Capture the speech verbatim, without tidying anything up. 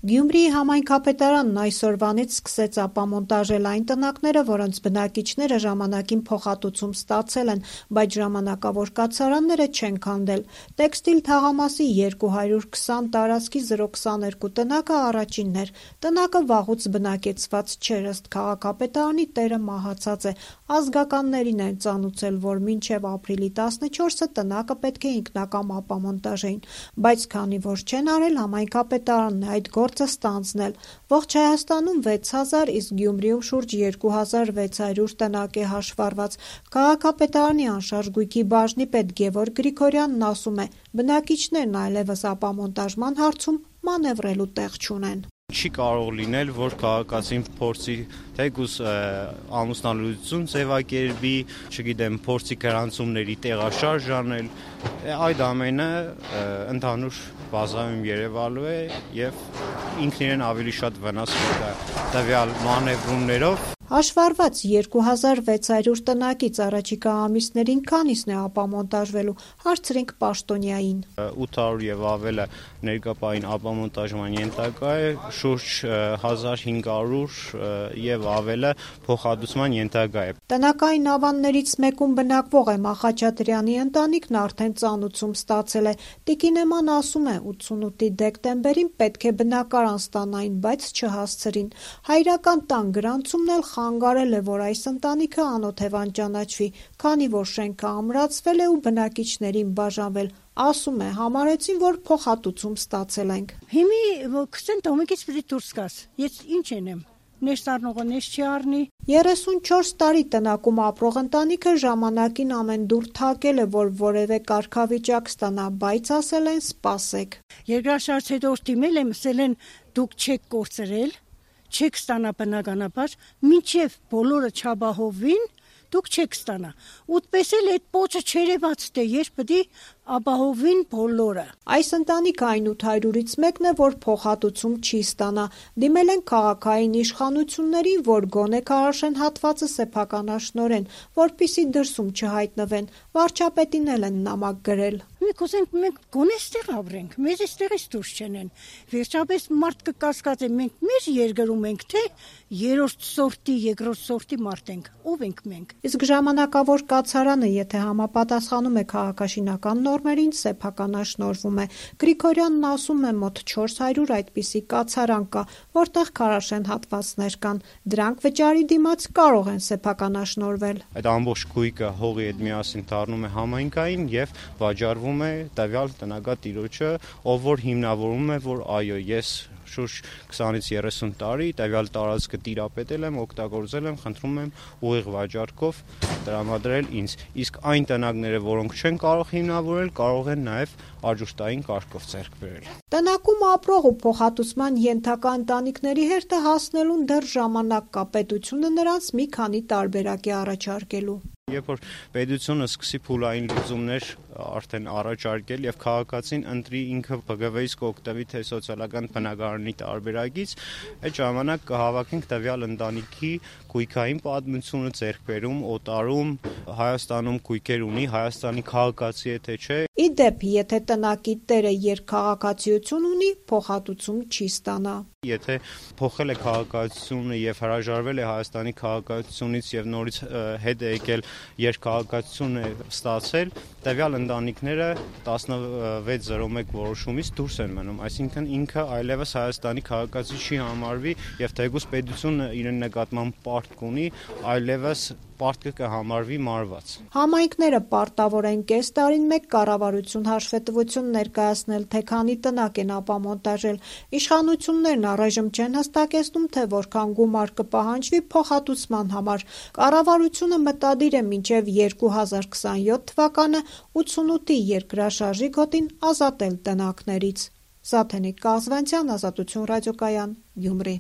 Գյումրիի համայնքապետարանն այսօրվանից սկսեց ապամոնտաժել այն տնակները, որոնց բնակիչները ժամանակին փոխհատուցում ստացել են, բայց ժամանակավոր կացարանները չեն քանդել։ Տեքստիլ թաղամասի երկու հարյուր քսան տարածքի զրո քսաներկու տնակը առաջինն էր։ Տնակը վաղուց բնակեցված չէր, ըստ քաղաքապետարանի տերը մահացած է։ Ազգականներին են ծանուցել, որ մինչև ապրիլի տասնչորսը տնակը պետք է ինքնակամ ապամոնտաժեին, բայց քանի որ չեն արել, համայնքապետարանն է այդ գործը ստանձնել։ Ողջ Հայաստանում վեց հազար, իսկ Գյումրիում շուրջ երկու հազար վեց հարյուր տնակ է հաշվառված։ Քաղաքապետարանի անշարժ գույքի բաժնի պետ Գևորգ Գրիգորյանն ասում է, բնակիչներն այլևս ապամոնտաժման հարցում մանևրելու տեղ չունեն։ Չի կարող լինել, որ քաղաքացին փորձի թեկուզ ամուսնալուծություն ձևակերպի, չգիտեմ, փորձի գրանցումների տեղաշարժ անել, այդ ամենը ընդհանուր բազայում երևալու է եւ ինքն իրեն ավելի շատ վնաս կտա տվյալ մանևրումներով։ Հաշվառված երկու հազար վեց հարյուր տնակից առաջիկա ամիսներին քանիսն է ապամոնտաժվելու, հարցրենք պաշտոնյային։ ութ հարյուր եւ ավելը ներկապային ապամոնտաժման ենթակա է, շուրջ հազար հինգ հարյուր եւ ավելը փոխհատուցման ենթակա է։ Տնակային ավաններից մեկում բնակվող է Մախաչատրյանի ընտանիքն արդեն ծանուցում ստացել է։ Տիկին Էման ասում է, ութսունութի դեկտեմբերին պետք է բնակարան ստանային, բայց չհասցրին։ Հայրական տան գրանցումն էլ խանգարել է, որ այս ընտանիքը անօթևան ճանաչվի, քանի որ շենքը ամրացվել է ու բնակիչներին բաժանվել։ Ասում է, համարեցին, որ փոխհատուցում ստացել ենք։ Հիմի քսան տոմիկից պիտի դուրս գաս։ Ես ինչ ենեմ։ Նես առնողը նես չի առնի։ երեսունչորս տարի տնակում ապրող ընտանիքը ժամանակին ամեն դուր թակել է, որ որևէ կարգավիճակ ստանա, բայց ասել են սպասեք։ Երկրաշարժից հետո դիմել եմ, ասել են դուք չեք կորցրել, չեք ստանա բնականաբար, մինչև բոլորը չաբահովին, դուք չեք ստանա։ Ուտպես էլ այդ պոչը չերևաց թե երբ պիտի ապահովին բոլորը։ Այս ընտանիքը այն ութ հարյուրից մեկն է, որ փոխհատուցում չի ստանա։ Դիմել են քաղաքային իշխանություններին, որ գոնե քարաշեն հատվածը սեփականաշնորեն, որպիսի դրսում չհայտնվեն։ Վարչապետին էլ են նամակ գրել։ Մենք ուզենք մենք գոնե ստեղ ապրենք, մեզ այստեղից դուրս չենեն։ Վերջապես մարդ կկասկածի, մենք մեր երկրում ենք, թե երրորդ սորտի, երկրորդ սորտի մարդ ենք, ով ենք մենք։ Իսկ ժամանակավոր կացարանը, եթե համապատասխանում է քաղաքաշինական նորմերին, սեփականաշնորվում է։ Գրիգորյանն ասում է, մոտ չորս հարյուր այդպիսի կացարան կա, որտեղ քարաշեն հատվածներ կան։ Դրանք վճարի դիմաց կարող են սեփականաշնորվել։ Այդ ամբողջ գույքը հողի հետ միասին դառնում է համայնքային եւ վաճառվում է տվյալ տնագատիրոջը, ով որ հիմնավորում է, որ այո, ես շուրջ քսանից երեսուն տարի տվյալ տարածքը տիրապետել եմ, օգտագործել եմ, խնդրում եմ ուղիղ վաճառքով տրամադրել ինձ։ Իսկ այն տնակները, որոնք չեն կարող հիմնավորել, կարող են նաև արժուշտային կարգով ձեռք բերել։ Տնակում ապրող ու փոխհատուցման ենթակա ընտանիքների հերթը հասնելուն դեռ ժամանակ կա, պետությունը նրանց մի քանի տարբերակ է առաջարկելու։ Երբ որ պետությունը սկսի փուլային լուծումներ արդեն առաջարկել եւ քաղաքացին ընտրի ինքը Բ Գ V-ից կօգտվի թե սոցիալական բնակարանի տարբերակից, այդ ժամանակ կհավաքենք տվյալ ընտանիքի գույքային պատմությունը, ձեռքբերում, օտարում, Հայաստանում գույքեր ունի, Հայաստանի քաղաքացի է թե չէ։ Ի դեպ, եթե տնակի տերը երկքաղաքացիություն ունի, փոխհատուցում չի ստանա։ Եթե փոխել է քաղաքացիությունը եւ հրաժարվել է Հայաստանի քաղաքացիությունից եւ նորից հետ է եկել երկքաղաքացիություն է ստացել, տվյալ ընտանիքները տասնվեց զրո մեկ որոշումից դուրս են մնում, այսինքն ինքը այլևս Հայաստանի քաղաքացի չի համարվի եւ թեկուզ պետությունը իրեն նկատմամբ պարտք ունի, այլևս պարտքը կհամարվի մարված։ Համայնքները պարտավոր են կես տարին մեկ կառավարություն հաշվետվություն ներկայացնել, թե քանի տնակ են ապամոնտաժել։ Իշխանություններն առայժմ չեն հստակեցնում, թե որքան գումար կպահանջվի փոխհատուցման համար։ Կառավարությունը մտադիր է մինչև երկու հազար քսանյոթ թվականը ութսունութի երկրաշարժի գոտին ազատել տնակներից։ Զաթենիկ Կազվանցյան, Ազատություն ռադիոկայան, Գյումրի։